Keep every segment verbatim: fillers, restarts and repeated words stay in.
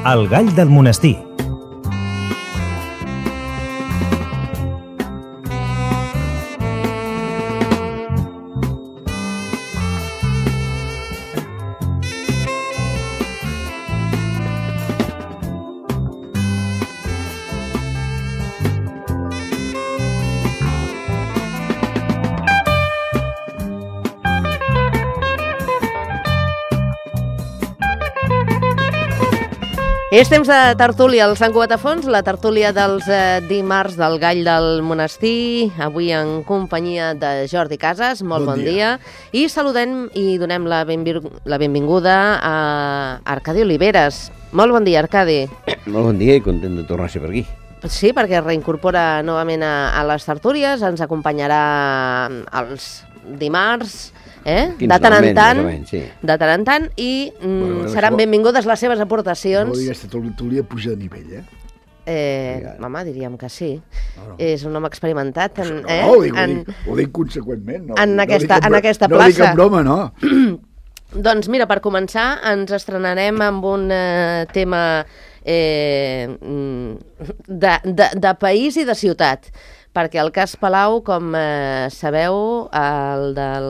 El gall del monestir. És temps de tertúlia al Sant Cugat a Fons, la tertúlia dels eh, dimarts del Gall del Monestir, avui en companyia de Jordi Casas, molt bon, bon dia. dia, i saludem i donem la, benvir la benvinguda a Arcadi Oliveres. Molt bon dia, Arcadi. Molt bon dia i content de tornar a ser per aquí. Sí, perquè reincorpora novament a, a les tertúlies, ens acompanyarà els dimarts, Eh? de tant en tant, sí. de tant en tant, i mm, bueno, bueno, seran això... benvingudes les seves aportacions. No digues que tertúlia puja de nivell, eh? Eh, home, diríem que sí. No, no. És un home experimentat en, no, eh? no, ho dic, en, ho, dic, ho dic conseqüentment. No, en, no aquesta, dic en, en aquesta no plaça. No dic en broma, no. Doncs mira, per començar, ens estrenarem amb un eh, tema eh, de, de, de país i de ciutat. Perquè el cas Palau, com eh, sabeu, el del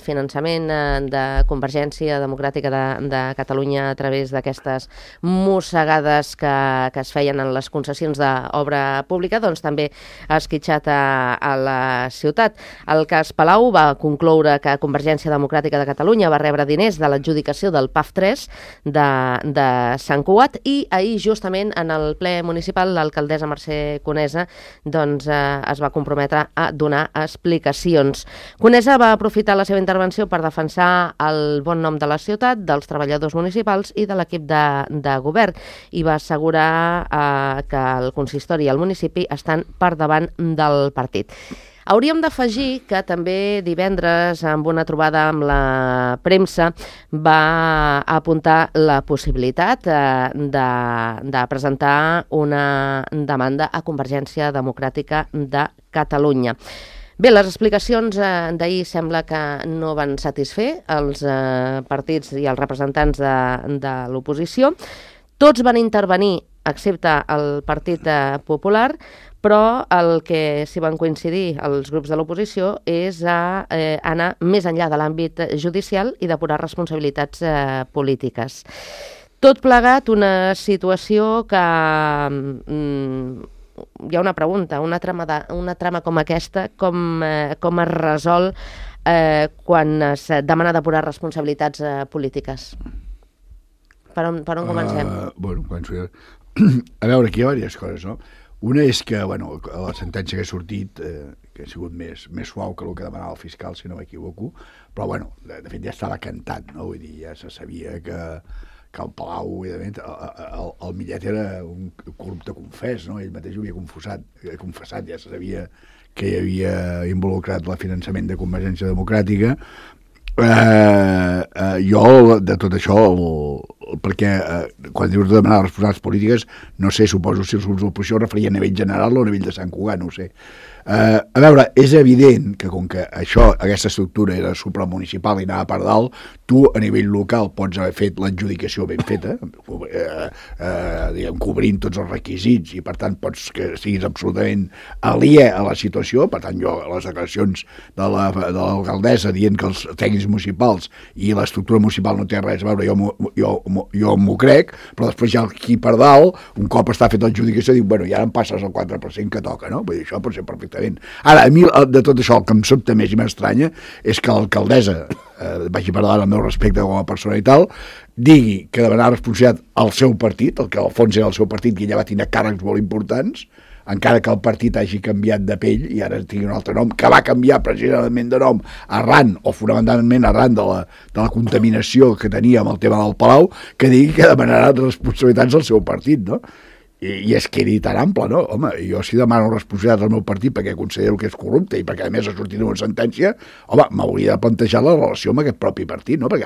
finançament eh, de Convergència Democràtica de, de Catalunya a través d'aquestes mossegades que, que es feien en les concessions d'obra pública, doncs també ha esquitxat a, a la ciutat. El cas Palau va concloure que Convergència Democràtica de Catalunya va rebre diners de l'adjudicació del P A F tres de, de Sant Cugat i ahir, justament, en el ple municipal, l'alcaldessa Mercè Conesa, doncs, eh, es va comprometre a donar explicacions. Conesa va aprofitar la seva intervenció per defensar el bon nom de la ciutat, dels treballadors municipals i de l'equip de, de govern, i va assegurar eh, que el consistori i el municipi estan per davant del partit. Hauríem d'afegir que també divendres, amb una trobada amb la premsa, va apuntar la possibilitat eh, de, de presentar una demanda a Convergència Democràtica de Catalunya. Bé, les explicacions eh, d'ahir sembla que no van satisfer els eh, partits i els representants de, de l'oposició. Tots van intervenir, excepte el Partit Popular, però el que s'hi van coincidir els grups de l'oposició és a eh, anar més enllà de l'àmbit judicial i depurar responsabilitats eh, polítiques. Tot plegat, una situació que mm, hi ha una pregunta, una trama, de, una trama com aquesta, com, eh, com es resol eh, quan es demana depurar responsabilitats eh, polítiques? Per on, per on comencem? Uh, bueno, començo jo. A veure, aquí hi ha diverses coses, no? Una és que, bueno, la sentència que ha sortit, eh, que ha sigut més, més suau que el que demanava el fiscal, si no m'equivoco, però, bueno, de, de fet ja estava cantat, no? Vull dir, ja se sabia que, que el Palau, evidentment, el, el, el Millet era un corrupte confés, no? Ell mateix ho havia confessat, confessat, ja se sabia que hi havia involucrat el finançament de Convergència Democràtica. Eh, eh, jo, de tot això, el, el, perquè eh, quan dius de demanar responsabilitats polítiques, no sé, suposo si els grups de l'oposició es referien a nivell general o a nivell de Sant Cugat, no ho sé. Eh, a veure, és evident que com que això, aquesta estructura era supramunicipal i anava per dalt, tu a nivell local pots haver fet l'adjudicació ben feta, eh, eh, diguem, cobrint tots els requisits, i per tant pots que siguis absolutament aliè a la situació. Per tant, jo, les declaracions de l'alcaldessa la, de dient que els tècnics municipals i l'estructura municipal no té res a veure, jo, jo, jo m'ho crec, però després ja aquí per dalt, un cop està fet l'adjudicació, dic, bueno, i ara em passes el quatre per cent que toca, no? Vull dir, això pot ser perfecte. Ara, a mi de tot això el que em sobta més i m'estranya és que l'alcaldessa, eh, vagi per davant el meu respecte com a persona i tal, digui que demanar responsabilitat al seu partit, el que al fons era el seu partit, que ja va tenir càrrecs molt importants, encara que el partit hagi canviat de pell i ara tingui un altre nom, que va canviar precisament de nom arran, o fonamentalment arran de la, de la contaminació que tenia amb el tema del Palau, que digui que demanarà responsabilitats al seu partit, no? I, i es quedi tan ample, no? Home, jo si demano responsabilitat al meu partit perquè considero que és corrupte i perquè a més ha sortit una sentència, home, m'hauria de plantejar la relació amb aquest propi partit, no? Perquè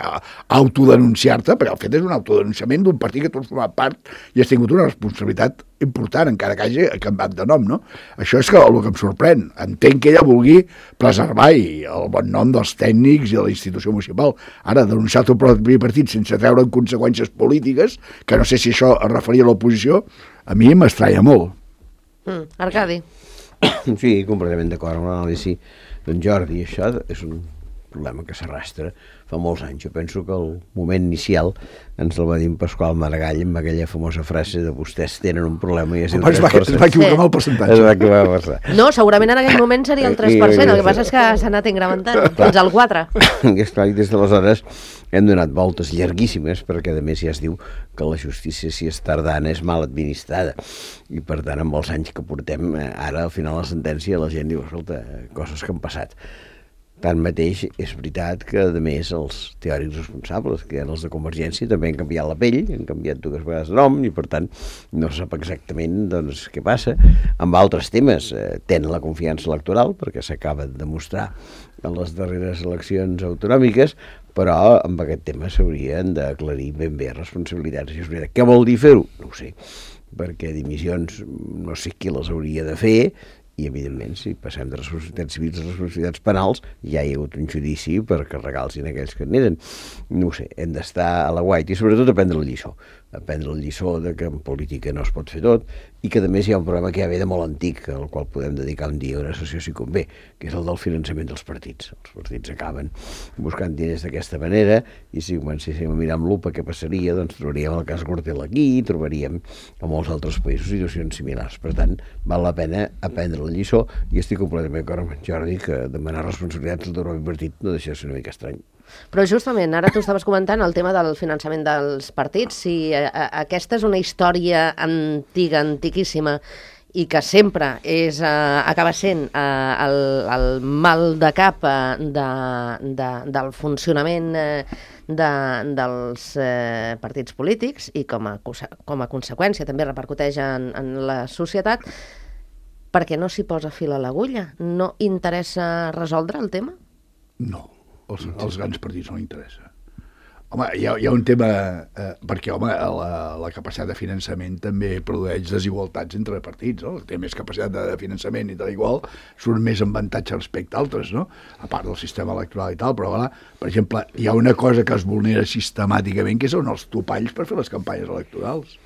autodenunciar-te, perquè el fet és un autodenunciament d'un partit que tu has format part i has tingut una responsabilitat important, encara que hagi canviat de nom, no? Això és que el que em sorprèn. Entenc que ella vulgui preservar el bon nom dels tècnics i de la institució municipal. Ara, denunciar el teu propi partit sense treure en conseqüències polítiques, que no sé si això es referia a l'oposició, a mi m'estranya molt. Mm, Arcadi. Sí, completament d'acord amb l'anàlisi d'en Jordi. Això és un problema que s'arrastra fa molts anys. Jo penso que el moment inicial ens el va dir en Pasqual Maragall amb aquella famosa frase de vostès tenen un problema i es diu tres per cent. Es va equivocar amb el percentatge. Es va equivocar. No, segurament en aquell moment seria el tres per cent, el que passa és que s'ha anat incrementant fins al quatre. I esclar, des d'aleshores hem donat voltes llarguíssimes perquè a més ja es diu que la justícia, si és tardana, és mal administrada i per tant amb els anys que portem ara al final la sentència la gent diu, escolta, coses que han passat. Tanmateix, és veritat que, a més, els teòrics responsables, que eren els de Convergència, també han canviat la pell, han canviat dues vegades de nom, i, per tant, no se sap exactament doncs, què passa. Amb altres temes eh, tenen la confiança electoral, perquè s'acaba de demostrar en les darreres eleccions autonòmiques, però amb aquest tema s'haurien d'aclarir ben bé responsabilitats. I és veritat. Què vol dir fer-ho? No ho sé, perquè dimissions no sé qui les hauria de fer, i, evidentment, si passem de responsabilitats civils a responsabilitats penals, ja hi ha hagut un judici per carregar-los en aquells que n'eren. No ho sé, hem d'estar a la guaita i, sobretot, aprendre la lliçó. Aprendre la lliçó de que en política no es pot fer tot i que, a més, hi ha un problema que ja ve de molt antic, al qual podem dedicar un dia a una sessió si convé, que és el del finançament dels partits. Els partits acaben buscant diners d'aquesta manera i si comencéssim a mirar amb lupa què passaria, doncs trobaríem el cas Gürtel aquí, trobaríem a molts altres països situacions similars. Per tant, val la pena aprendre la lliçó i estic completament d'acord amb en Jordi que demanar responsabilitats al propi partit no deixa de ser una mica estrany. Però justament, ara tu estaves comentant el tema del finançament dels partits, si a, a, aquesta és una història antiga, antiquíssima, i que sempre és, uh, acaba sent uh, el, el mal de cap uh, de, de, del funcionament uh, de, dels uh, partits polítics i com a, com a conseqüència també repercuteix en, en la societat, perquè no s'hi posa fil a l'agulla? No interessa resoldre el tema? No. Els, els grans partits no interessa. Home, hi ha, hi ha un tema, eh, perquè home, la, la capacitat de finançament també produeix desigualtats entre partits, no? El que té més capacitat de finançament i tal igual surt més en avantatge respecte a altres, no? A part del sistema electoral i tal, però voilà, per exemple, hi ha una cosa que es vulnera sistemàticament, que són els topalls per fer les campanyes electorals.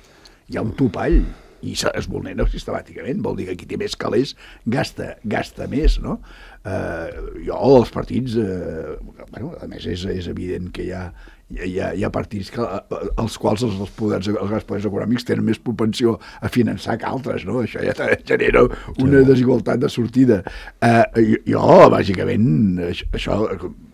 Hi ha un topall i es vulnera sistemàticament, vol dir que qui té més calés gasta, gasta més, no? Eh, jo, els partits, eh, bueno, a més és, és evident que hi ha, hi ha, hi ha partits que, els quals els, els, poders, els grans poders econòmics tenen més propensió a finançar que altres, no? Això ja genera una desigualtat de sortida. Eh, jo, bàsicament, això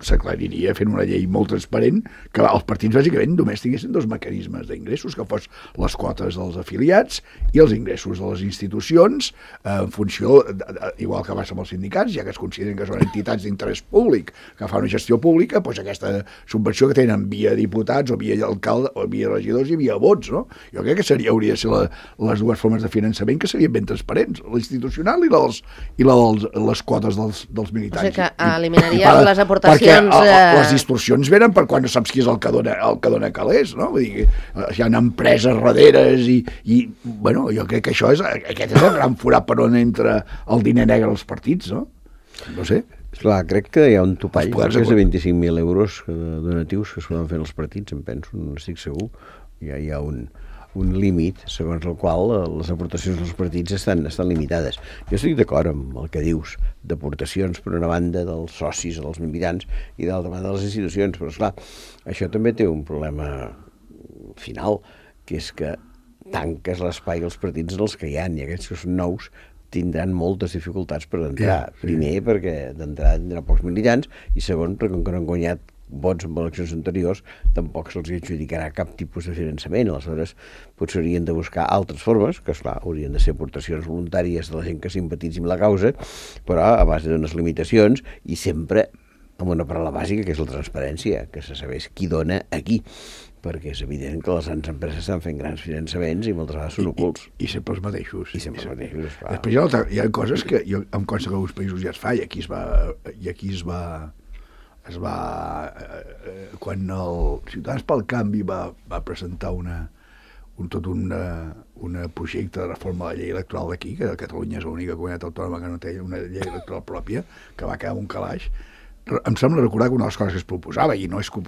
s'aclariria fent una llei molt transparent, que els partits, bàsicament, només tinguessin dos mecanismes d'ingressos, que fos les quotes dels afiliats i els ingressos de les institucions, eh, en funció, de, de, igual que passa amb els sindicats, ja que es consideren que són entitats d'interès públic, que fan una gestió pública, doncs aquesta subvenció que tenen via diputats o via alcalde o via regidors i via vots, no? Jo crec que seria, hauria de ser la, les dues formes de finançament que serien ben transparents, la institucional i, les, i la dels, les quotes dels, dels militants. O sigui que eliminaria I, les aportacions... Perquè eh... les distorsions venen per quan no saps qui és el que dona, el que dona calés, no? Vull dir que hi ha empreses darreres i, i, bueno, jo crec que això és, aquest és el gran forat per on entra el diner negre als partits, no? No sé. Clar, crec que hi ha un topall, que és de vint-i-cinc mil euros de donatius que es poden fer els partits, em penso, no estic segur. Ja hi ha un, un límit segons el qual les aportacions dels partits estan, estan limitades. Jo estic d'acord amb el que dius d'aportacions per una banda dels socis, dels militants, i d'altra banda de les institucions, però esclar, això també té un problema final, que és que tanques l'espai als partits dels que hi ha, i aquests que són nous tindran moltes dificultats per entrar. Yeah, sí. Primer, perquè d'entrada tindran pocs militants, i segon, perquè com que no han guanyat vots en eleccions anteriors, tampoc se'ls adjudicarà cap tipus de finançament. Aleshores, potser haurien de buscar altres formes, que, esclar, haurien de ser aportacions voluntàries de la gent que simpatitzi amb la causa, però a base d'unes limitacions, i sempre amb una paraula bàsica, que és la transparència, que se sabés qui dona a qui, perquè és evident que les grans empreses estan fent grans finançaments i moltes vegades són ocults. I, i sempre els mateixos. I sempre els mateixos, clar. Després hi ha, hi ha coses que jo, em consta que alguns països ja es fa, i aquí es va... I aquí es va es va eh, quan el Ciutadans pel Canvi va, va presentar una, un, tot un un projecte de reforma de la llei electoral d'aquí, que Catalunya és l'única comunitat autònoma que no té una llei electoral pròpia, que va quedar un calaix. Em sembla recordar que una de les coses que es proposava, i no és que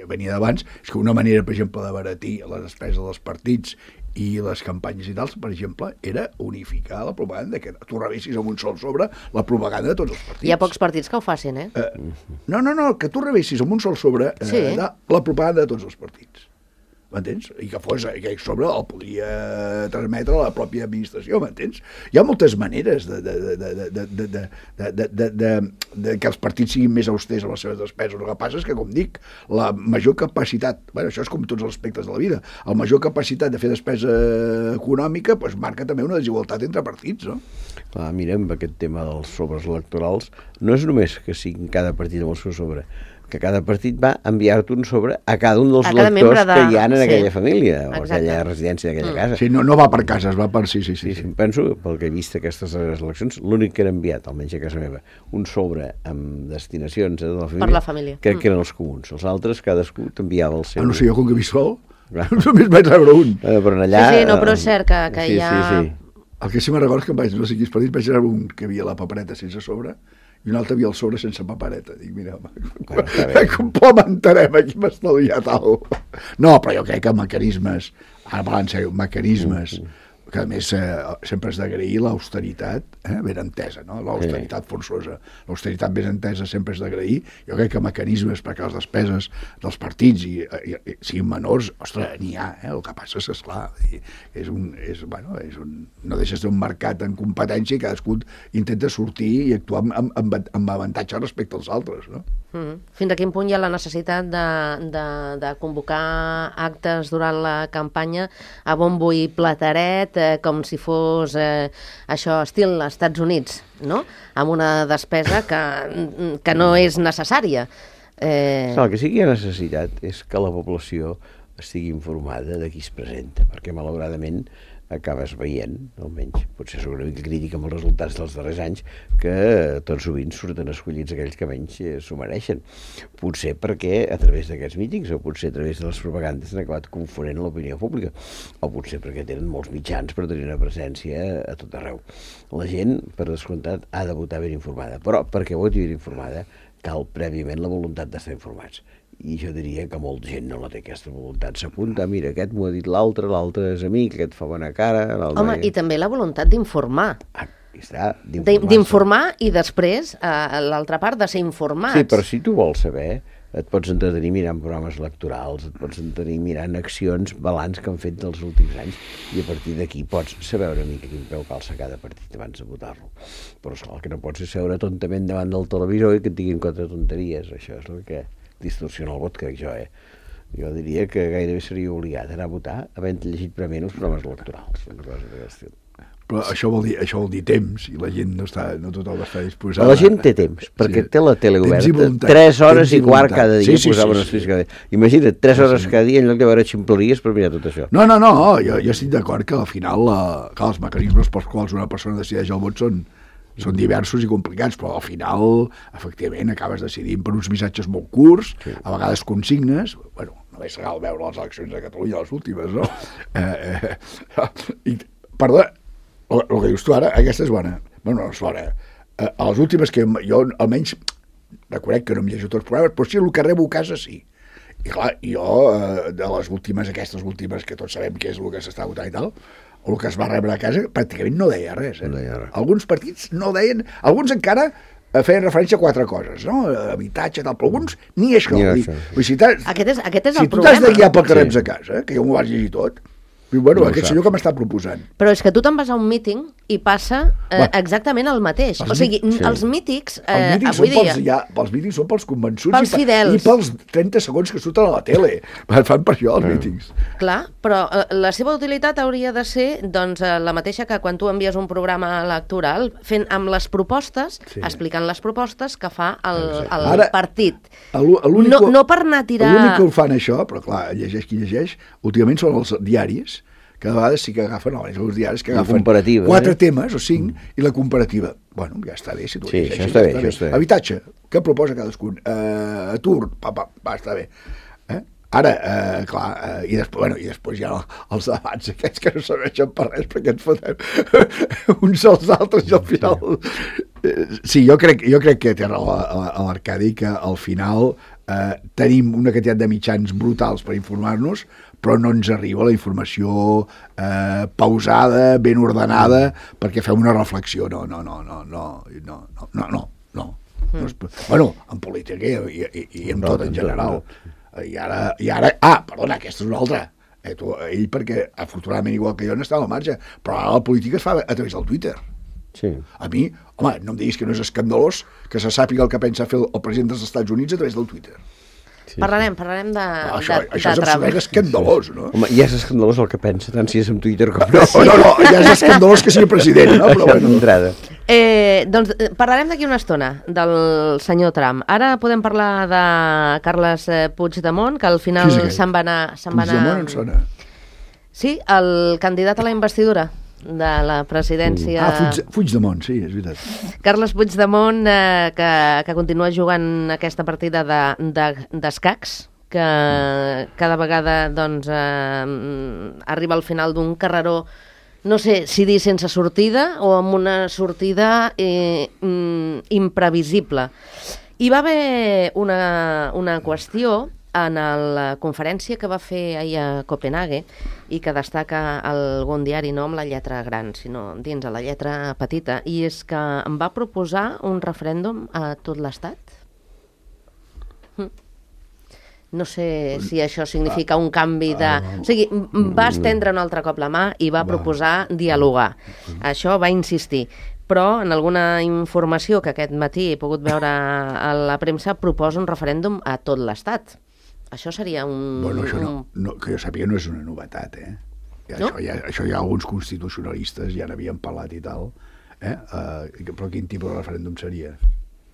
venia d'abans, és que una manera, per exemple, d'abaratir les despeses dels partits i les campanyes i tals, per exemple, era unificar la propaganda, que tu rebessis amb un sol sobre la propaganda de tots els partits. Hi ha pocs partits que ho facin, eh? eh no, no, no, que tu rebessis amb un sol sobre eh, sí. de la propaganda de tots els partits. M'entens? I que fos, que sobre el podia transmetre a la pròpia administració, m'entens? Hi ha moltes maneres de, de, de, de, de, de, de, de, de, de, de que els partits siguin més austers en les seves despeses. El que passa és que, com dic, la major capacitat, bueno, això és com tots els aspectes de la vida, la major capacitat de fer despesa econòmica doncs marca també una desigualtat entre partits, no? Clar, mirem aquest tema dels sobres electorals, no és només que siguin cada partit amb el seu sobre, que cada partit va enviar-te un sobre a cada un dels lectors de... que hi ha en sí. aquella família, o Exacte. aquella residència d'aquella mm. casa. Sí, no, no va per cases, va per... Sí, sí, sí. sí, sí. Penso, pel que he vist aquestes eleccions, l'únic que era enviat, almenys a casa meva, un sobre amb destinacions de la família, per la família. crec mm. que eren els comuns. Els altres, cadascú t'enviava el seu... Ah, no sé, jo com que visc sol, només vaig rebre un. Eh, però allà... Sí, sí, no, però és cert que, que sí, hi ha... Sí, sí. El que sí me'n recordo és que vaig, no sé quins partits, vaig rebre un que havia la papereta sense sobre, i un altre havia el sobre sense papereta. Dic, mira, bueno, complementarem, aquí m'ha estalviat alguna cosa. No, però jo crec que mecanismes, ara parlant en sèrio, mecanismes, mm -hmm. que a més eh, sempre has d'agrair l'austeritat eh, ben entesa, no? L'austeritat forçosa, l'austeritat ben entesa sempre és d'agrair. Jo crec que mecanismes perquè les despeses dels partits i, i, i siguin menors, ostres, n'hi ha, eh? El que passa és, esclar, és un, és, bueno, és un, no deixes d'un mercat en competència i cadascú intenta sortir i actuar amb, amb, amb avantatge respecte als altres, no? Mm. Fins a quin punt hi ha la necessitat de, de, de convocar actes durant la campanya a bombo i plateret, eh, com si fos eh, això, estil als Estats Units, no? Amb una despesa que, que no és necessària. Eh... El que sí que hi ha necessitat és que la població estigui informada de qui es presenta, perquè malauradament acabes veient, almenys potser sóc una mica crítica amb els resultats dels darrers anys, que tot sovint surten escollits aquells que menys eh, s'ho mereixen. Potser perquè a través d'aquests mítings o potser a través de les propagandes han acabat confonent l'opinió pública, o potser perquè tenen molts mitjans per tenir una presència a tot arreu. La gent, per descomptat, ha de votar ben informada, però perquè voti ben informada cal prèviament la voluntat d'estar informats. I jo diria que molta gent no la té aquesta voluntat. S'apunta, mira, aquest m'ho ha dit l'altre, l'altre és amic, aquest fa bona cara... Home, i també la voluntat d'informar. Ah, està, d'informar i després, a l'altra part, de ser informats. Sí, però si tu vols saber, et pots entretenir mirant programes electorals, et pots entretenir mirant accions, balanç que han fet dels últims anys, i a partir d'aquí pots saber una mica quin peu calça cada partit abans de votar-lo. Però esclar, el que no pots és seure tontament davant del televisor i que et diguin quatre tonteries. Això és el que distorsiona el vot, crec jo, eh? Jo diria que gairebé seria obligat a anar a votar havent llegit prèviament els programes electorals, una cosa d'aquest estil. Però això vol dir, això vol dir temps, i la gent no està, no tothom està disposada. La gent té temps, perquè sí, té la tele oberta, tres hores i, i quart cada dia, sí, sí, posaven sí, sí, sí. Cada dia. Imagina't, tres hores sí, sí. cada dia en lloc de veure ximpleries per mirar tot això. No, no, no, jo, jo estic d'acord que al final la, que els mecanismes pels quals una persona decideix el vot són són diversos i complicats, però al final, efectivament, acabes decidint per uns missatges molt curts, sí. A vegades consignes, bueno, no és legal veure les eleccions de Catalunya, les últimes, no? eh, eh, i, perdó, el, el que dius tu ara, aquesta és bona. Bueno, no és bona. Eh, a les últimes que jo, almenys, reconec que no em llegeixo tots els programes, però sí, el que rebo a casa, sí. I clar, jo, eh, de les últimes, aquestes últimes, que tots sabem què és el que s'està votant i tal, el que es va rebre a casa, pràcticament no deia res. Eh? No deia res. Alguns partits no deien... Alguns encara feien referència a quatre coses, no? Habitatge, tal, però alguns ni això. Ni això. Dir, si aquest és, aquest és si el problema. Si tu t'has de guiar pel que reps a casa, eh? Que jo m'ho vaig llegir tot, diu, bueno, no aquest senyor que m'està proposant. Però és que tu te'n vas a un míting i passa eh, Va. exactament el mateix. Els o sigui, sí. els mítics, eh, els mítings avui dia... Pels, ja, els mítings són pels convençuts pels i, fidels. i pels trenta segons que surten a la tele. Fan per això, els mítings. Clar, però eh, la seva utilitat hauria de ser doncs, eh, la mateixa que quan tu envies un programa electoral, fent amb les propostes, sí. explicant les propostes que fa el, el Ara, partit. No, no per anar a tirar... L'únic que ho fan això, però clar, llegeix qui llegeix, últimament són els diaris, que a vegades sí que agafen, no, els diaris que agafen quatre eh? temes o cinc mm. i la comparativa. Bueno, ja està bé, si tu sí, llegeixes. Això està bé, això està bé. Habitatge, què proposa cadascun? Uh, atur, pa, pa, va, està bé. Eh? Ara, eh, clar, eh, i, després, bueno, i després hi ha els debats aquests que no serveixen per res perquè ens fotem uns als altres i al final... Sí, jo crec, jo crec que té raó a l'Arcadi que al final eh, tenim una quantitat de mitjans brutals per informar-nos, però no ens arriba la informació eh, pausada, ben ordenada, perquè fem una reflexió. No, no, no, no, no, no, no, no, no. no. Mm. Bueno, en política i, i, i en tot en general. I ara, i ara... Ah, perdona, aquesta és una altra. Eh, tu, ell, perquè afortunadament igual que jo n'estava al marge, però ara la política es fa a través del Twitter. Sí. A mi, home, no em diguis que no és escandalós que se sàpiga el que pensa fer el, el president dels Estats Units a través del Twitter. Sí, parlarem, parlarem de, no, això, de, això de és absolutament escandalós, no? Home, ja és escandalós el que pensa, tant si és en Twitter com no. No, no, no, ja és escandalós que sigui president, no? Però bueno. Eh, doncs parlarem d'aquí una estona del senyor Trump. Ara podem parlar de Carles Puigdemont, que al final se'n va anar... Puigdemont en sona. Sí, el candidat a la investidura de la presidència... Ah, Puig, Puigdemont, sí, és veritat. Carles Puigdemont, eh, que, que continua jugant aquesta partida d'escacs, de, de, que cada vegada doncs, eh, arriba al final d'un carreró, no sé si dir sense sortida o amb una sortida eh, imprevisible. Hi va haver una, una qüestió en la conferència que va fer ahir a Copenhague i que destaca algun diari no amb la lletra gran, sinó dins de la lletra petita, i és que em va proposar un referèndum a tot l'Estat. Hm. No sé si això significa un canvi de... O sigui, va estendre un altre cop la mà i va proposar dialogar. Això va insistir. Però en alguna informació que aquest matí he pogut veure a la premsa proposa un referèndum a tot l'Estat. Això seria un... Bueno, això no, un... no, que jo sàpiga no és una novetat, eh? Ja, no? Això, ja, això ja alguns constitucionalistes ja n'havien parlat i tal, eh? Uh, però quin tipus de referèndum seria?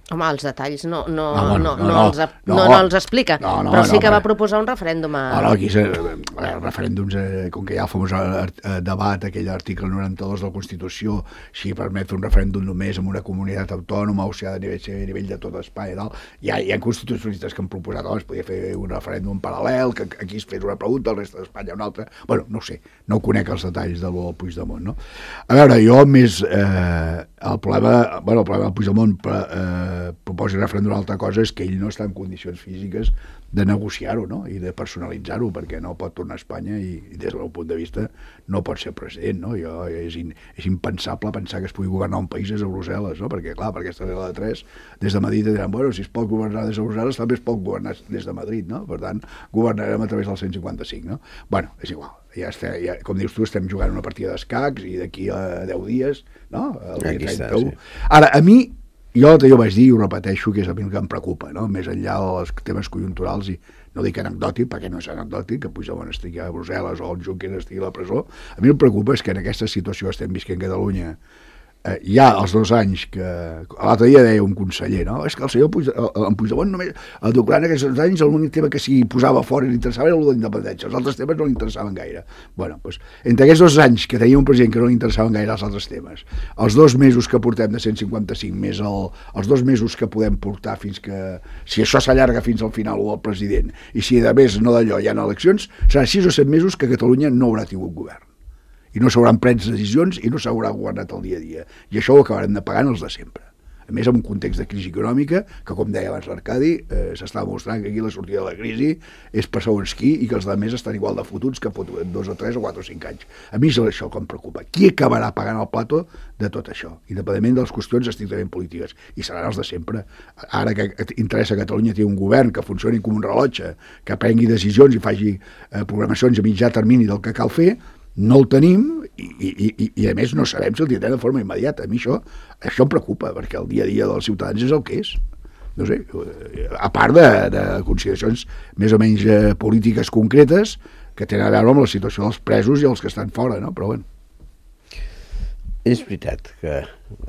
Home, els detalls no, no, ah, bueno, no, no, no, no, els, no, no, no els explica, no, no, però sí no, que però... va proposar un referèndum a... No, no, aquí és, eh, referèndums, eh, com que hi ha el famós eh, debat, aquell article noranta-dos de la Constitució, si permet fer un referèndum només en una comunitat autònoma o si ha de nivell, a nivell de tot Espanya i tal, hi ha, hi ha constitucionalistes que han proposat, oh, es podia fer un referèndum paral·lel, que aquí es fes una pregunta, el reste d'Espanya una altra... Bueno, no ho sé, no conec els detalls del Puigdemont, no? A veure, jo més... Eh, el problema, bueno, el problema del Puigdemont eh, proposi referèndum d'una altra cosa és que ell no està en condicions físiques de negociar-ho, no? I de personalitzar-ho, perquè no pot tornar a Espanya i, i des del meu punt de vista no pot ser president, no? Jo, és, in, és impensable pensar que es pugui governar un país des de Brussel·les, no? Perquè, clar, per aquesta regla de tres, des de Madrid diran, bueno, si es pot governar des de Brussel·les, també es pot governar des de Madrid, no? Per tant, governarem a través del cent cinquanta-cinc, no? Bueno, és igual. Ja estem, ja, com dius tu, estem jugant una partida d'escacs i d'aquí a deu dies, no? El dia trenta-u. Sí. Ara, a mi, jo jo vaig dir i ho repeteixo, que és a mi el que em preocupa, no? Més enllà dels temes conjunturals, i no dic anecdòtic, perquè no és anecdòtic, que Puigdemont estigui a Brussel·les o el Junqueras estigui a la presó. A mi el preocupa és que en aquesta situació estem visquent a Catalunya, eh, ja els dos anys que... L'altre dia deia un conseller, no? És que el senyor Puigdemont, en Puigdemont només, durant aquests dos anys, l'únic tema que s'hi posava fora i li interessava era el de l'independència, els altres temes no li interessaven gaire. Bueno, doncs, entre aquests dos anys que tenia un president que no li interessaven gaire els altres temes, els dos mesos que portem de cent cinquanta-cinc més el, els dos mesos que podem portar fins que... Si això s'allarga fins al final o al president, i si a més no d'allò hi ha eleccions, serà sis o set mesos que Catalunya no haurà tingut govern. I no s'hauran pres decisions i no s'haurà governat el dia a dia. I això ho acabarem de pagar els de sempre. A més, en un context de crisi econòmica, que, com deia abans l'Arcadi, eh, s'està mostrant que aquí la sortida de la crisi és per segons qui i que els altres estan igual de fotuts que fot dos o tres o quatre o cinc anys. A mi és això que em preocupa. Qui acabarà pagant el plato de tot això? Independentment de les qüestions estrictament polítiques. I seran els de sempre. Ara que interessa a Catalunya tenir un govern que funcioni com un rellotge, que prengui decisions i faci eh, programacions a mitjà termini del que cal fer, no el tenim i, i, i, i a més no sabem si el tindrem de forma immediata. A mi això, això em preocupa, perquè el dia a dia dels ciutadans és el que és. No sé, a part de, de consideracions més o menys eh, polítiques concretes que tenen a veure amb la situació dels presos i els que estan fora, no? Però bueno. És veritat que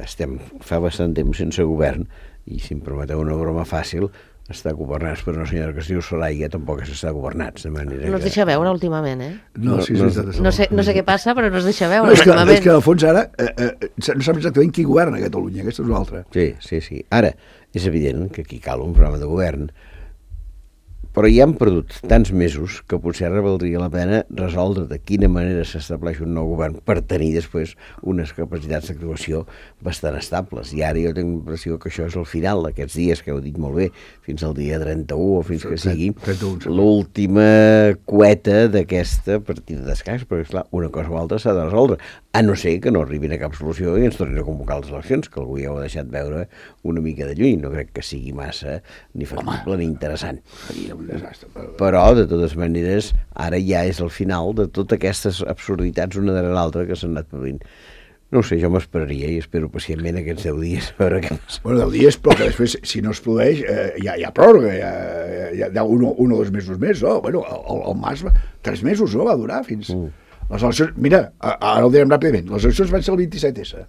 estem fa bastant temps sense govern i, si em permeteu una broma fàcil, està governats per una senyora que es diu Soraya, tampoc s'està governats, de manera no es deixa veure últimament, eh? No, sí, no, sí, no, sé, no sé què passa, però no es deixa veure no, és que, últimament. És que, al fons, ara eh, eh, no saps exactament qui governa a Catalunya, aquesta és una altra. Sí, sí, sí. Ara, és evident que aquí cal un programa de govern però ja han perdut tants mesos que potser ara valdria la pena resoldre de quina manera s'estableix un nou govern per tenir després unes capacitats d'actuació bastant estables. I ara jo tinc l'impressió que això és el final d'aquests dies, que heu dit molt bé, fins al dia trenta-u o fins que sigui l'última cueta d'aquesta partida d'escacs, perquè esclar, una cosa o altra s'ha de resoldre, a no ser que no arribin a cap solució i ens tornin a convocar les eleccions, que algú ja ho ha deixat veure una mica de lluny. No crec que sigui massa ni factible ni interessant. Però, de totes maneres, ara ja és el final de totes aquestes absurditats una darrere l'altra que s'han anat produint. No ho sé, jo m'esperaria i espero pacientment aquests deu dies a veure què passa. Bueno, deu dies, però que després, si no es produeix, eh, hi, ha, hi ha pròrroga, hi ha, hi ha un, un o dos mesos més, no? Bueno, el, el Mas, tres mesos, no? Va durar fins... Mm. Les eleccions, mira, ara ho direm ràpidament, les eleccions van ser el vint-i-set essa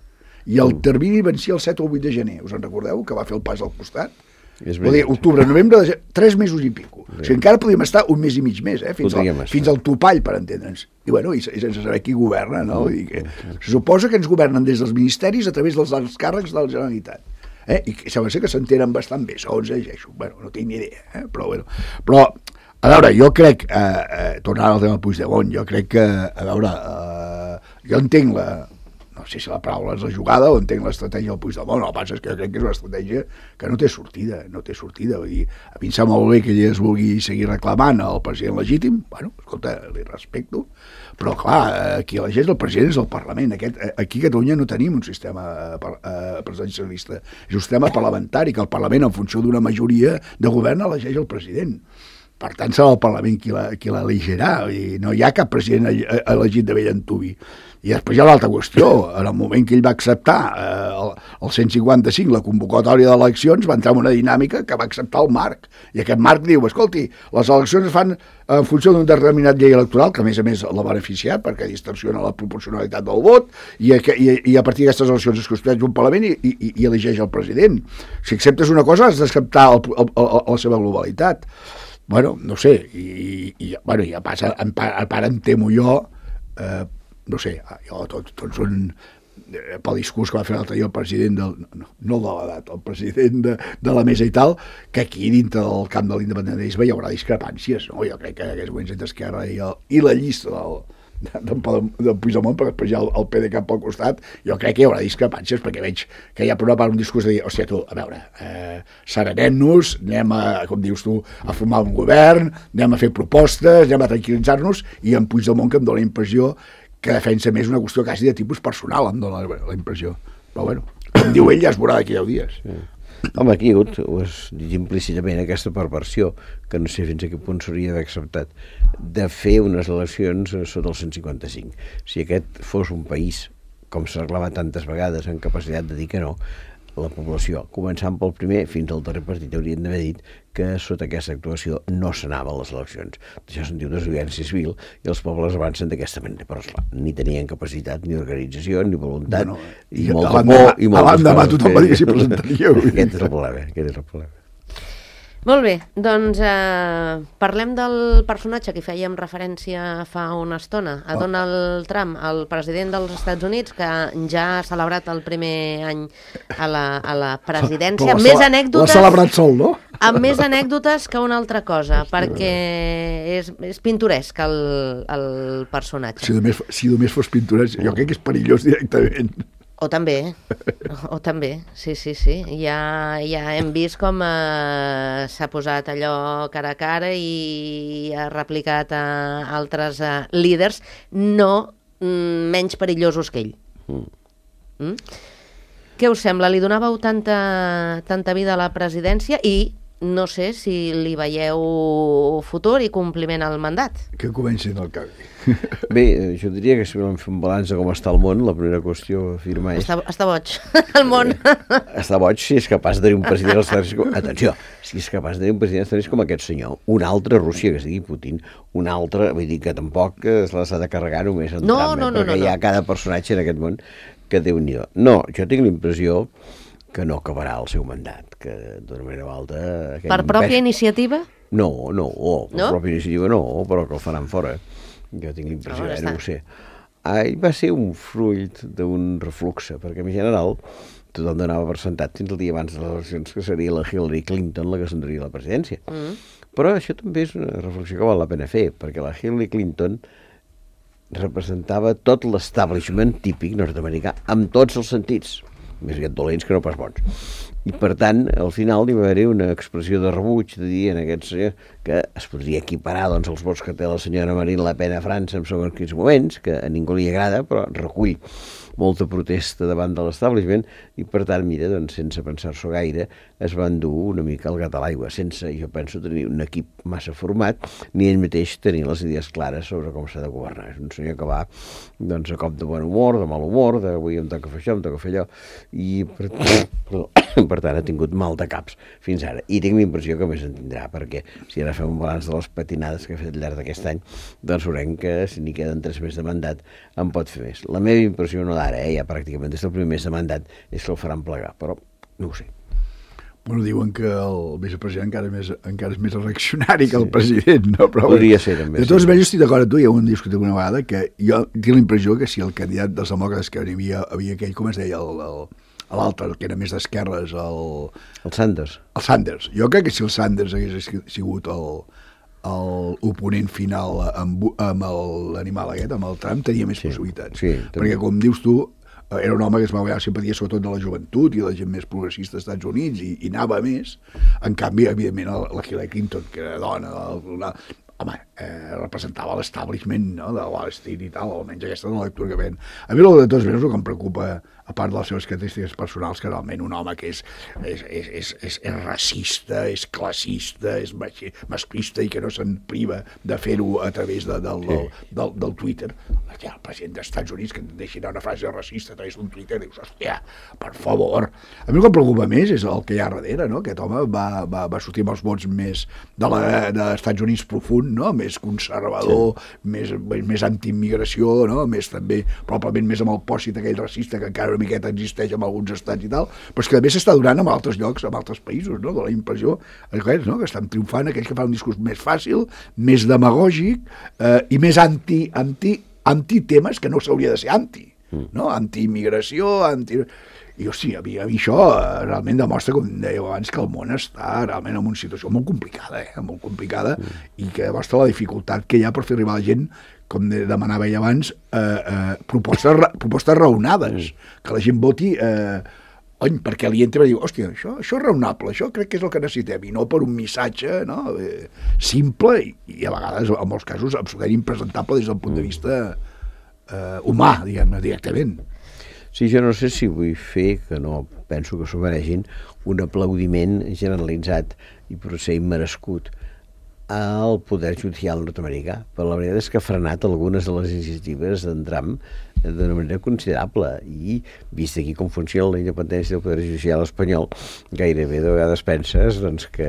i el mm. termini vencia el set o el vuit de gener, us en recordeu, que va fer el pas al costat? Vol dir, octubre, novembre, de... tres mesos i pico. Sí. O sigui, encara podíem estar un mes i mig més, eh? fins, al, fins al topall, per entendre'ns. I, bueno, i, i sense saber qui governa, no? Mm. I que, se suposa que ens governen des dels ministeris a través dels alts càrrecs de la Generalitat. Eh? I sembla ser que s'entenen bastant bé, segons llegeixo. Bueno, no tinc ni idea, eh? però bueno. Però, a veure, jo crec, eh, eh, tornant al tema del Puigdemont, jo crec que, a veure, eh, jo entenc la, no sé si la paraula és la jugada o entenc l'estratègia del Puigdemont, el que passa és que jo crec que és una estratègia que no té sortida, no té sortida, vull dir, a mi em sembla molt bé que ell es vulgui seguir reclamant al president legítim, bueno, escolta, li respecto, però clar, qui elegeix el president és el Parlament. Aquest, aquí a Catalunya no tenim un sistema eh, presidencialista, és un sistema parlamentari, que el Parlament, en funció d'una majoria de govern, elegeix el president. Per tant, serà el Parlament qui l'elegirà, i no hi ha cap president elegit de bell antuvi. I després hi ha l'altra qüestió, en el moment que ell va acceptar eh, el, el cent cinquanta-cinc, la convocatòria d'eleccions, va entrar en una dinàmica que va acceptar el marc, i aquest marc diu, escolti, les eleccions es fan en funció d'un determinat llei electoral, que a més a més l'ha beneficiat, perquè distorsiona la proporcionalitat del vot, i a, i, i a partir d'aquestes eleccions es constitueix un Parlament i, i, i elegeix el president. Si acceptes una cosa, has d'acceptar el, el, el, la seva globalitat. Bueno, no sé, i, i bueno, ja passa, en part, en part em temo jo, eh, no sé, jo tot, tots són, eh, pel discurs que va fer l'altre dia el president del, no, no de l'edat, el president de, de la mesa i tal, que aquí dintre del camp de l'independentisme hi haurà discrepàncies, no? Jo crec que en aquests moments entre Esquerra i, el, i la llista del del Puigdemont, perquè després hi ha el, el P D C A T pel costat, jo crec que hi haurà discrepàncies, perquè veig que hi ha per una part un discurs de dir, hòstia, tu, a veure, eh, serenem-nos, anem a, com dius tu, a formar un govern, anem a fer propostes, anem a tranquil·litzar-nos, i en Puigdemont que em dóna la impressió que defensa més una qüestió quasi de tipus personal, em dóna la, la impressió. Però bueno, com diu ell, ja es veurà d'aquí deu dies. Sí. Home, aquí hi ha hagut, ho has dit implícitament, aquesta perversió, que no sé fins a quin punt s'hauria d'haver acceptat, de fer unes eleccions sota el cent cinquanta-cinc. Si aquest fos un país, com s'ha reclamat tantes vegades, amb capacitat de dir que no, la població, començant pel primer fins al darrer partit, haurien d'haver dit que sota aquesta actuació no s'anava a les eleccions. Això se'n diu desobediència civil i els pobles avancen d'aquesta manera. Però esclar, ni tenien capacitat, ni organització, ni voluntat, bueno, i, i molta por, i moltes coses. L'endemà tothom va dir que s'hi presentaria. Aquest és el problema, aquest és el problema. Molt bé, doncs eh, parlem del personatge que fèiem referència fa una estona, a Donald Trump, el president dels Estats Units, que ja ha celebrat el primer any a la, a la presidència, amb més anècdotes... L'ha celebrat sol, no? Amb més anècdotes que una altra cosa, perquè és, és pintoresc el, el personatge. Si només, si només fos pintoresc, jo crec que és perillós directament. O també, o també, sí, sí, sí. Ja, ja hem vist com eh, s'ha posat allò cara a cara i ha replicat a altres eh, líders no mm, menys perillosos que ell. Mm. Mm? Què us sembla? Li donàveu tanta, tanta vida a la presidència i no sé si li veieu futur i compliment al mandat. Que comenci en el canvi. Bé, jo diria que si volem fer un balanç de com està el món, la primera qüestió a afirmar és... Està, està boig, el món. Està boig si és capaç de tenir un president als Estats Units... Atenció, si és capaç de tenir un president als Estats Units com aquest senyor, una altra Rússia, que es digui Putin, una altra, vull dir que tampoc es les ha de carregar només en no, Trump, no, eh? no, perquè no, hi ha no. cada personatge en aquest món que Déu-n'hi-do. No, jo tinc la impressió que no acabarà el seu mandat, que d'una manera o altra... Per pròpia pes... iniciativa? No, no, oh, per no? pròpia iniciativa no, però que el faran fora. Jo tinc l'impressió, oh, eh, no ho sé. Ai, va ser un fruit d'un refluxe, perquè en general tothom donava per sentat fins el dia abans de les eleccions que seria la Hillary Clinton la que s'endria la presidència. Mm. Però això també és una reflexió que val la pena fer, perquè la Hillary Clinton representava tot l'establishment típic nord-americà, amb tots els sentits, més aviat dolents que no pas bons. I, per tant, al final hi va haver-hi una expressió de rebuig de dir en aquest senyor que es podria equiparar doncs, els vots que té la senyora Marine Le Pen a França en segons quins moments, que a ningú li agrada, però recull molta protesta davant de l'establishment, i per tant, mira, doncs, sense pensar-s'ho gaire, es van dur una mica el gat a l'aigua, sense, jo penso, tenir un equip massa format, ni ell mateix tenir les idees clares sobre com s'ha de governar. És un senyor que va doncs, a cop de bon humor, de mal humor, de avui em toca fer això, em toca fer allò, i per, perdó, per tant ha tingut mal de caps fins ara. I tinc la impressió que més en tindrà, perquè si ara fem un balanç de les patinades que ha fet al llarg d'aquest any, doncs veurem que si n'hi queden tres mesos de mandat en pot fer més. La meva impressió no d'ara, eh, ja pràcticament des del primer mes de mandat, és que el faran plegar, però no ho sé. Bueno, diuen que el vicepresident encara, més, encara és més reaccionari que el sí. president, no? Però, podria ser, també. De tots sí. Jo estic d'acord amb tu, ja ho hem discutit una vegada, que jo tinc la impressió que si el candidat dels demòcrates que hi havia, havia aquell, com es deia, l'altre, que era més d'esquerres, el... El Sanders. El Sanders. Jo crec que si el Sanders hagués sigut el, l'oponent final amb, amb l'animal aquest, amb el Trump, tenia més sí. possibilitats. Sí, perquè, com dius tu, era un home que es va guanyar simpatia sobretot de la joventut i de la gent més progressista als Estats Units i, i anava a més. En canvi, evidentment, la Hillary Clinton, que era dona, la, home, eh, representava l'establishment, no?, de Wall Street i tal, almenys aquesta és la lectura que ven. A mi, de tots mesos, el que em preocupa, a part de les seves característiques personals, que realment un home que és, és, és, és, és, és racista, és classista, és masclista i que no se'n priva de fer-ho a través de, del, del, del, del Twitter. Hòstia, el president dels Estats Units que et deixi anar una frase racista a través d'un Twitter, dius, hòstia, per favor. A mi el que em preocupa més és el que hi ha darrere, no? Aquest home va, va, va sortir amb els vots més de l'Estats Units profund, no? Més conservador, sí. més, més antiimmigració, no? Més també, probablement més amb el pòsit aquell racista que encara una miqueta existeix en alguns estats i tal, però és que també s'està donant en altres llocs, en altres països, no? De la impressió aquells, no? Que estan triomfant aquells que fan un discurs més fàcil, més demagògic eh, i més anti, anti, anti-temes que no s'hauria de ser anti, no? Anti-immigració, anti... I, hosti, a mi, a mi això eh, realment demostra, com dèieu abans, que el món està realment en una situació molt complicada, eh? Molt complicada, mm. i que demostra la dificultat que hi ha per fer arribar a la gent, com demanava ell abans, eh, eh, propostes, propostes raonades, mm. que la gent voti, eh, ony, perquè li entra i diu, hòstia, això, això és raonable, això crec que és el que necessitem, i no per un missatge, no?, eh, simple, i, i a vegades, en molts casos, absolutament impresentable des del punt de vista eh, humà, diguem-ne, directament. Sí, jo no sé si vull fer, que no penso que s'ho mereixin, un aplaudiment generalitzat i potser immerescut al poder judicial nord-americà, però la veritat és que ha frenat algunes de les iniciatives d'en Trump d'una manera considerable, i vist aquí com funciona la independència del poder judicial espanyol, gairebé de vegades penses doncs, que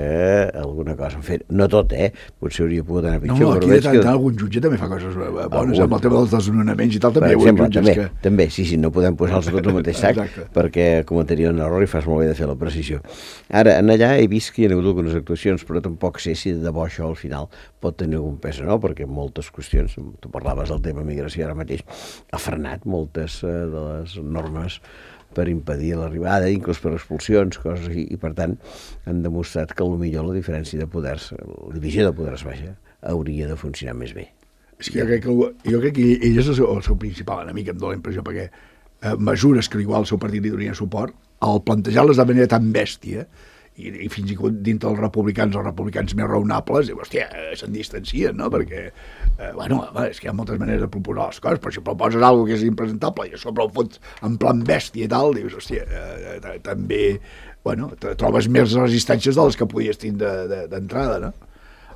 alguna cosa han fet, no tot, eh? Potser hauria pogut anar pitjor. No, aquí de tant, que... algun jutge també fa coses bones, algun... amb el tema dels desnonaments i tal, també hi ha jutges també, que... També, sí, sí, no podem posar-los tots al mateix sac, perquè cometria un error i fas molt bé de fer la precisió. Ara, en allà he vist que hi ha hagut algunes actuacions, però tampoc sé si de debò això al final pot tenir algun pes o no, perquè moltes qüestions, tu parlaves del tema migració ara mateix, ha frenat moltes eh, de les normes per impedir l'arribada, inclús per expulsions, coses així, i per tant han demostrat que potser la diferència de poders, la divisió de poders baixa, hauria de funcionar més bé. És que jo crec que, jo crec que ell és el seu, el seu principal enemic, em dóna la impressió, perquè eh, mesures que igual el seu partit li donien suport, al plantejar-les de manera tan bèstia, i, i fins i tot dintre els republicans, els republicans més raonables, diu, hòstia, se'n distancien, no? Perquè, eh, bueno, home, és que hi ha moltes maneres de proposar les coses, però si proposes alguna cosa que és impresentable i a sobre el fots en plan bèstia i tal, dius, hòstia, eh, també, bueno, trobes més resistències de les que podies tindre d'entrada, no?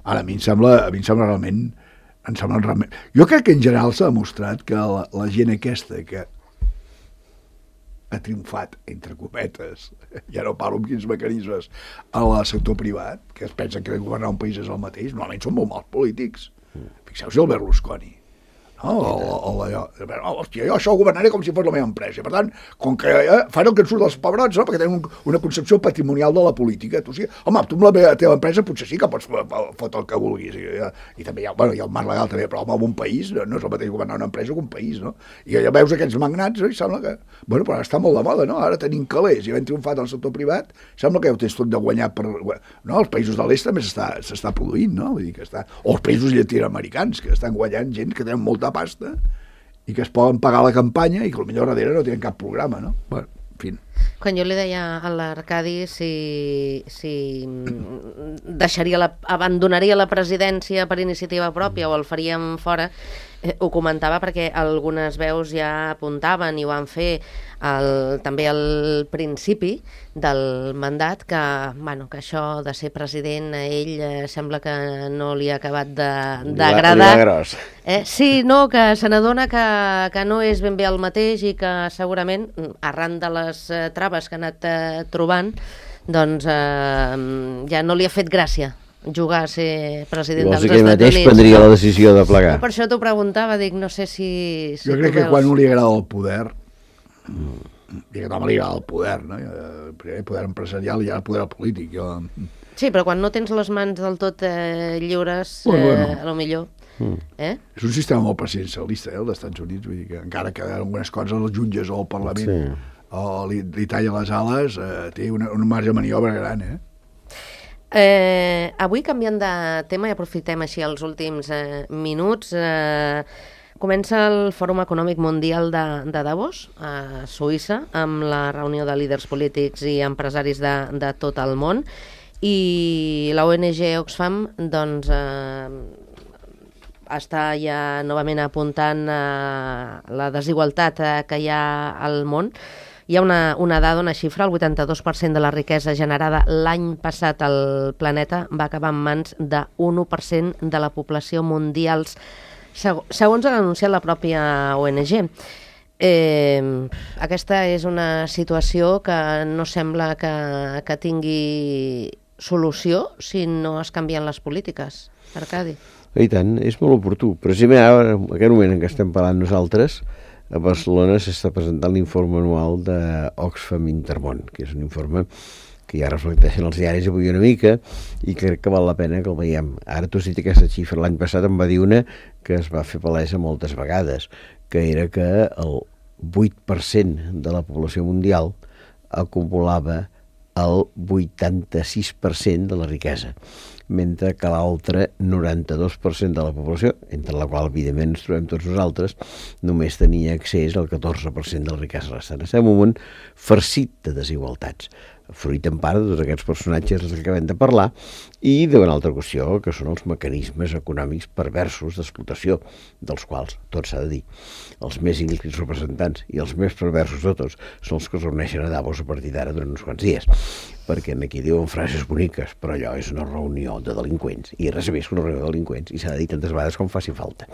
Ara, a mi em sembla, a mi em sembla realment, em sembla realment... Jo crec que en general s'ha demostrat que la, la gent aquesta que ha triomfat, entre cometes, ja no parlo amb quins mecanismes, al sector privat, que es pensen que governar un país és el mateix, normalment són molt mals polítics. Fixeu-vos el Berlusconi. No, o, o, allò, oh, hòstia, jo això ho governaré com si fos la meva empresa. Per tant, com que eh, fan el que en surt dels pebrots, no? Perquè tenen un, una concepció patrimonial de la política. Tu, sí, home, tu amb la meva, teva empresa potser sí que pots fotre el que vulguis. I, i també hi ha, bueno, hi ha el marc legal també, però home, un país no, no és el mateix governar una empresa que un país, no? I ja veus aquests magnats, no? I sembla que... Bueno, però està molt de moda, no? Ara tenim calés i havent triomfat al sector privat, sembla que ja ho tens tot de guanyar per... No, els països de l'est també s'està produint, no? Vull dir que està... O els països llatinoamericans, que estan guanyant gent que tenen molta pasta i que es poden pagar la campanya i que potser darrere no tenen cap programa, no? Bueno, en fi. Quan jo li deia a l'Arcadi si, si deixaria la, abandonaria la presidència per iniciativa pròpia o el faríem fora, eh, ho comentava perquè algunes veus ja apuntaven i ho van fer el, també al principi del mandat que, bueno, que això de ser president a ell eh, sembla que no li ha acabat d'agradar. Eh, sí, no, que se n'adona que, que no és ben bé el mateix i que segurament, arran de les eh, traves que ha anat eh, trobant, doncs eh, ja no li ha fet gràcia jugar a ser president dels Estats Units. Vols dir que ell mateix prendria la decisió de plegar? No, per això t'ho preguntava, dic, no sé si... si jo crec que quan no li agrada el poder, i que no li agrada el poder, no? Primer el poder empresarial i ara el poder polític. Jo... Sí, però quan no tens les mans del tot eh, lliures, bueno, bueno. Eh, a lo millor... Mm. Eh? És un sistema molt presidencialista, eh, el dels Estats Units, vull dir que encara que algunes coses els jutges o el Parlament sí. o li, li talla les ales, eh, té una, un marge de maniobra gran, eh? Eh, avui, canviant de tema, i aprofitem així els últims eh, minuts, eh, comença el Fòrum Econòmic Mundial de, de Davos, a Suïssa, amb la reunió de líders polítics i empresaris de, de tot el món, i la O N G Oxfam doncs, eh, està ja novament apuntant a la desigualtat eh, que hi ha al món. Hi ha una, una dada, una xifra, el vuitanta-dos per cent de la riquesa generada l'any passat al planeta va acabar en mans d'un u per cent de la població mundial, segons ha anunciat la pròpia O N G. Eh, aquesta és una situació que no sembla que, que tingui solució si no es canvien les polítiques. Arcadi. I tant, és molt oportú. Precisament ara, en aquest moment en què estem parlant nosaltres, a Barcelona s'està presentant l'informe anual d'Oxfam Intermón, que és un informe que ja reflecteixen els diaris avui una mica i crec que val la pena que el veiem. Ara tu has dit aquesta xifra, l'any passat em va dir una que es va fer palesa moltes vegades, que era que el vuit per cent de la població mundial acumulava el vuitanta-sis per cent de la riquesa, mentre que l'altre noranta-dos per cent de la població, entre la qual evidentment ens trobem tots nosaltres, només tenia accés al catorze per cent de la riquesa restant. Estem en un món farcit de desigualtats, fruit en part de tots aquests personatges dels que acabem de parlar i d'una altra qüestió, que són els mecanismes econòmics perversos d'explotació, dels quals, tot s'ha de dir, els més íncrits representants i els més perversos de tots són els que es reuneixen a Davos a partir d'ara durant uns quants dies, perquè aquí diuen frases boniques, però allò és una reunió de delinqüents, i res més que una reunió de delinqüents, i s'ha de dir tantes vegades com faci falta.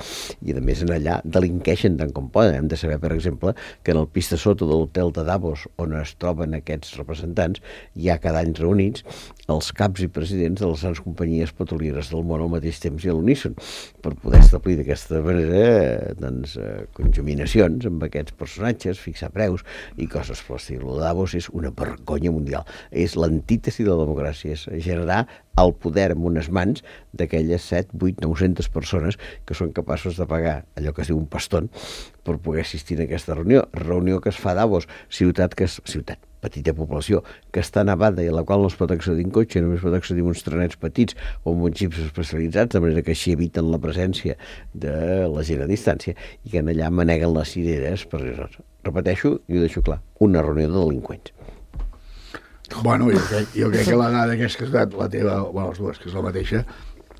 I a més en allà delinqueixen tant com poden. Hem de saber, per exemple, que en el pis de sota de l'hotel de Davos, on es troben aquests representants, hi ha cada any reunits els caps i presidents de les grans companyies petrolieres del món al mateix temps i a l'uníson, per poder establir d'aquesta manera doncs, conjuminacions amb aquests personatges, fixar preus i coses per l'estil. El Davos és una vergonya mundial. És l'antítesi de la democràcia, és generar el poder en unes mans d'aquelles set, vuit, nou-centes persones que són capaços de pagar allò que es diu un pastón per poder assistir a aquesta reunió. Reunió que es fa a Davos, ciutat que és ciutat, petita població, que està nevada i a la qual no es pot accedir en cotxe, només pot accedir en uns trenets petits o en uns xips especialitzats, de manera que així eviten la presència de la gent a distància i que en allà maneguen les cireres per res. Repeteixo, i ho deixo clar, una reunió de delinqüents. Bueno, jo crec, jo crec que la dada que has casat, la teva, bueno, les dues, que és la mateixa,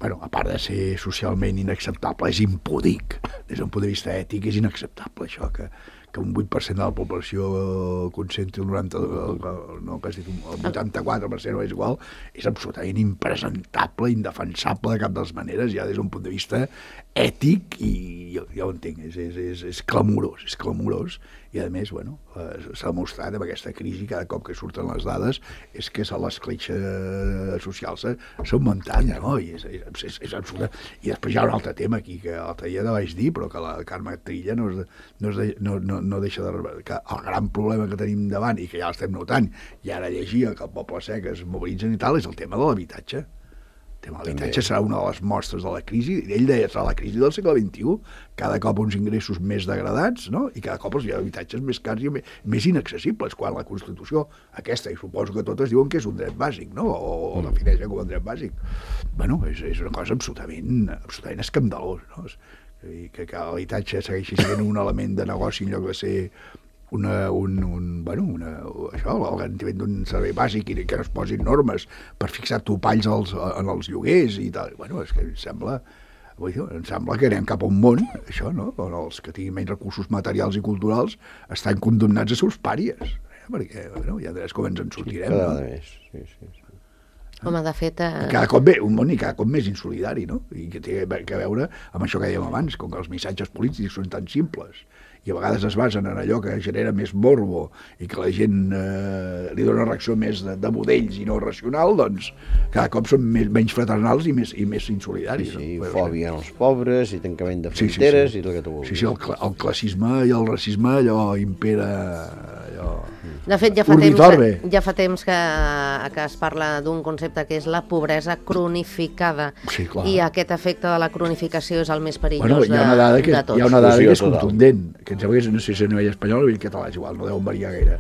bueno, a part de ser socialment inacceptable, és impúdic. Des d'un punt de vista ètic és inacceptable això, que, que un vuit per cent de la població concentri el noranta, no, que has dit, el vuitanta-quatre per cent o és igual, és absolutament impresentable, indefensable de cap de les maneres, ja des d'un punt de vista ètic, i jo, ja ho entenc, és, és, és, és clamorós, és clamorós, i a més, bueno, s'ha demostrat amb aquesta crisi, cada cop que surten les dades, és que l'escletxa social s'ha augmentat, no? I és, és, és, és absoluta. I després hi ha un altre tema aquí, que l'altre dia no vaig dir, però que la Carme Trilla no, és, no, és de, no, no, no deixa de... que el gran problema que tenim davant, i que ja l'estem notant, i ara llegia que el Poble Sec es mobilitzen i tal, és el tema de l'habitatge. El tema de l'habitatge serà una de les mostres de la crisi. Ell deia, serà la crisi del segle vint-i-u, cada cop uns ingressos més degradats, no? I cada cop els habitatges més cars i més inaccessibles, quan la Constitució aquesta, i suposo que totes diuen que és un dret bàsic, no? O, o defineixen com un dret bàsic. Bueno, és, és una cosa absolutament, absolutament escandalós, no? Que, que l'habitatge segueixi sent un element de negoci en lloc de ser una, un, un, bueno, una, això, el garantiment d'un servei bàsic, i que no es posin normes per fixar topalls als, en els lloguers i tal. Bueno, és que em sembla, vull dir, em sembla que anem cap a un món, això, no? On els que tinguin menys recursos materials i culturals estan condemnats a ser uns pàries, eh? Perquè, bueno, ja veuràs com ens en sortirem. Cada no? més, sí, sí, sí. Home, de fet... Eh... Cada cop bé, un món i cada cop més insolidari, no? I que té a veure amb això que dèiem abans, com que els missatges polítics són tan simples i a vegades es basen en allò que genera més morbo i que la gent eh, li dona una reacció més de, de budells i no racional, doncs cada cop són més, menys fraternals i més, i més insolidaris. Sí, sí, no? fòbia en els pobres i tancament de fronteres, sí, sí, sí. I tot el que tu vulguis. Sí, sí, el, el classisme i el racisme allò impera... Allò... De fet, ja fa, temps, ja fa temps que, que es parla d'un concepte que és la pobresa cronificada. Sí, clar. I aquest efecte de la cronificació és el més perillós bueno, hi ha una dada que, de tots. Hi ha una dada que és total. contundent, que em sembla que és, no sé si a nivell espanyol o a nivell català, és igual, no deuen variar gaire.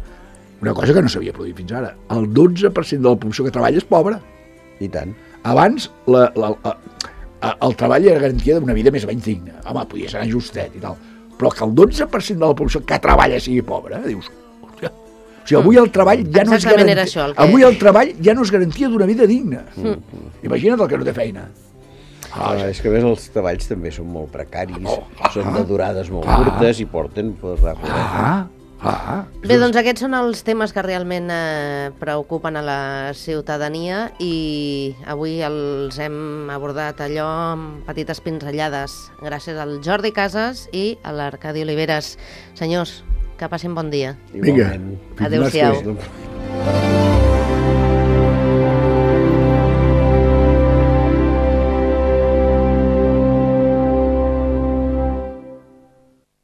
Una cosa que no s'havia produït fins ara. El dotze per cent de la població que treballa és pobra. I tant. Abans, la, la, la, el treball era garantia d'una vida més o menys digna. Home, podia ser justet i tal. Però que el dotze per cent de la població que treballa sigui pobra, eh? Dius... O sigui, avui el treball ja no és garantia, això, el que... avui el treball ja no és garantia d'una vida digna. Mm. Imagina't el que no té feina. Ah, ah, és que a més els treballs també són molt precaris, oh, ah, són de durades molt ah, curtes i porten per recorrer. Ah, ah, Bé, doncs aquests són els temes que realment eh, preocupen a la ciutadania i avui els hem abordat allò amb petites pinzellades gràcies al Jordi Casas i a l'Arcadi Oliveres. Senyors, que passin bon dia. Vinga. Adéu-siau.